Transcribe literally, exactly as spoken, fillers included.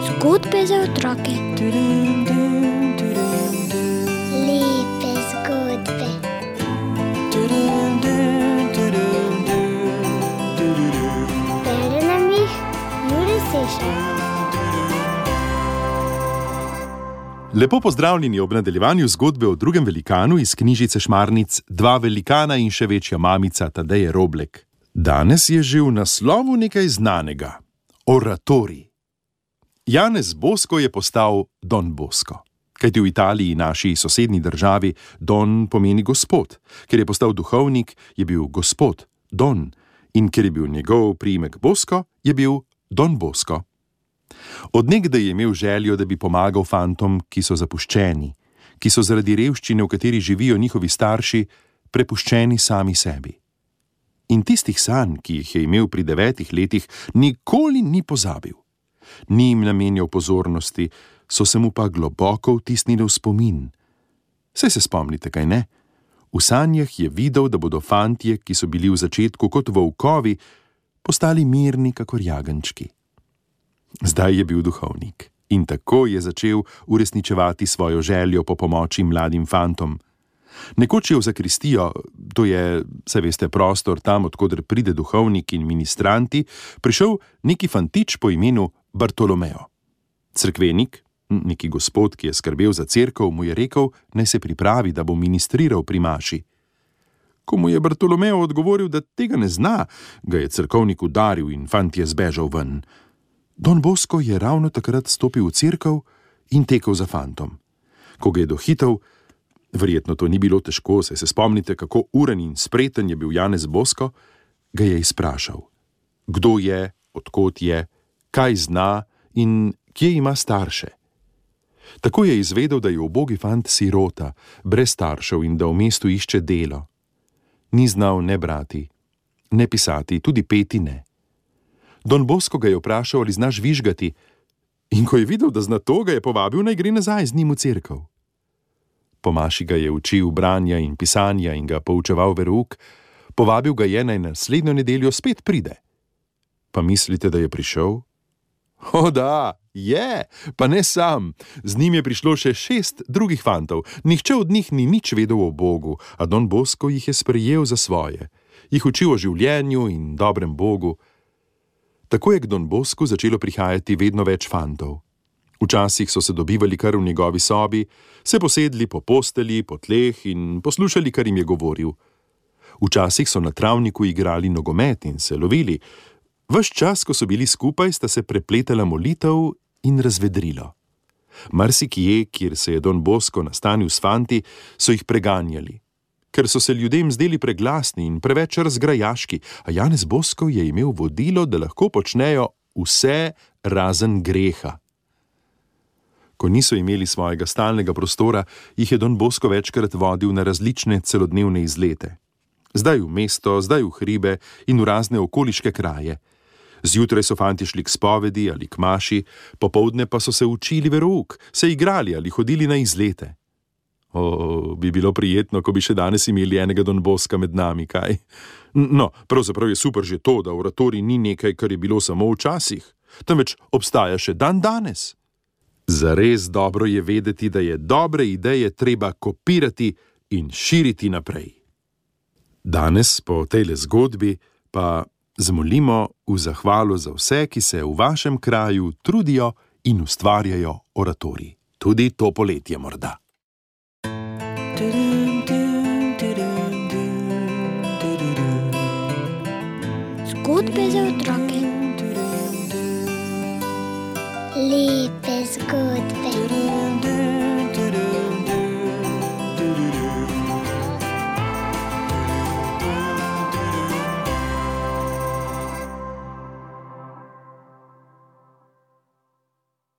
Zgodbe za otroke. Lepe zgodbe. Bere nam jih Jure Sešar. Lepo pozdravljeni ob nadaljevanju zgodbe o drugem velikanu iz knjižice Šmarnic Dva velikana in še večja mamica Tadeje Roblek. Danes je že v naslovu nekaj znanega. Oratorij. Janez Bosko je postal Don Bosko. Kajti v Italiji, naši sosednji državi, Don pomeni gospod. Ker je postal duhovnik, je bil gospod Don. In ker je bil njegov priimek Bosko, je bil Don Bosko. Od nekdaj je imel željo, da bi pomagal fantom, ki so zapuščeni, ki so zaradi revščine, v kateri živijo njihovi starši, prepuščeni sami sebi. In tistih sanj, ki jih je imel pri devetih letih, nikoli ni pozabil. Ni jim namenjal pozornosti, so se mu pa globoko vtisnili v spomin. Saj se spomnite, kaj ne? V sanjah je videl, da bodo fantje, ki so bili v začetku kot volkovi, postali mirni kakor jagenjčki. Zdaj je bil duhovnik in tako je začel uresničevati svojo željo po pomoči mladim fantom. Nekoč je v zakristijo, to je, saj veste, prostor tam, od koder pride duhovnik in ministranti, prišel neki fantič po imenu Bartolomeo. Cerkvenik, neki gospod, ki je skrbel za cerkev, mu je rekel, naj se pripravi, da bo ministriral pri maši. Ko mu je Bartolomeo odgovoril, da tega ne zna, ga je cerkovnik udaril in fant je zbežal ven. Don Bosko je ravno takrat stopil v cerkev in tekel za fantom. Ko ga je dohitel, verjetno to ni bilo težko, saj se spomnite, kako uren in spreten je bil Janez Bosko, ga je izprašal. Kdo je, odkot je, kaj zna in kje ima starše. Tako je izvedel, da je ubogi fant sirota, brez staršev in da v mestu išče delo. Ni znal ne brati, ne pisati, tudi peti ne. Don Bosko ga je vprašal, ali znaš vižgati, in ko je videl, da zna to, ga je povabil, naj gre nazaj z njim v cerkev. Po maši ga je učil branja in pisanja in ga poučeval verouk, povabil ga je, naj naslednjo nedeljo spet pride. Pa mislite, da je prišel? O da, je, pa ne sam. Z njim je prišlo še šest drugih fantov. Nihče od njih ni nič vedel o Bogu, a Don Bosko jih je sprejel za svoje. Jih učil o življenju in dobrem Bogu. Tako je k Don Bosku začelo prihajati vedno več fantov. Včasih so se dobivali kar v njegovi sobi, se posedli po postelji, po tleh in poslušali, kar jim je govoril. Včasih so na travniku igrali nogomet in se lovili. Ves čas, ko so bili skupaj, sta se prepletala molitev in razvedrilo. Marsikje, kjer se je Don Bosko nastanil s fanti, so jih preganjali, ker so se ljudem zdeli preglasni in preveč razgrajaški, a Janez Bosko je imel vodilo, da lahko počnejo vse razen greha. Ko niso imeli svojega stalnega prostora, jih je Don Bosko večkrat vodil na različne celodnevne izlete. Zdaj v mesto, zdaj v hribe in v razne okoliške kraje. Zjutraj so fantje šli k spovedi ali k maši, popoldne pa so se učili verouk, se igrali ali hodili na izlete. O, bi bilo prijetno, ko bi še danes imeli enega Don Boska med nami, kaj? No, pravzaprav je super že to, da oratorij ni nekaj, kar je bilo samo včasih, temveč obstaja še dan danes. Zares dobro je vedeti, da je dobre ideje treba kopirati in širiti naprej. Danes po tejle zgodbi pa zmolimo v zahvalo za vse, ki se v vašem kraju trudijo in ustvarjajo oratorij. Tudi to poletje morda. Zgodbe za otroke.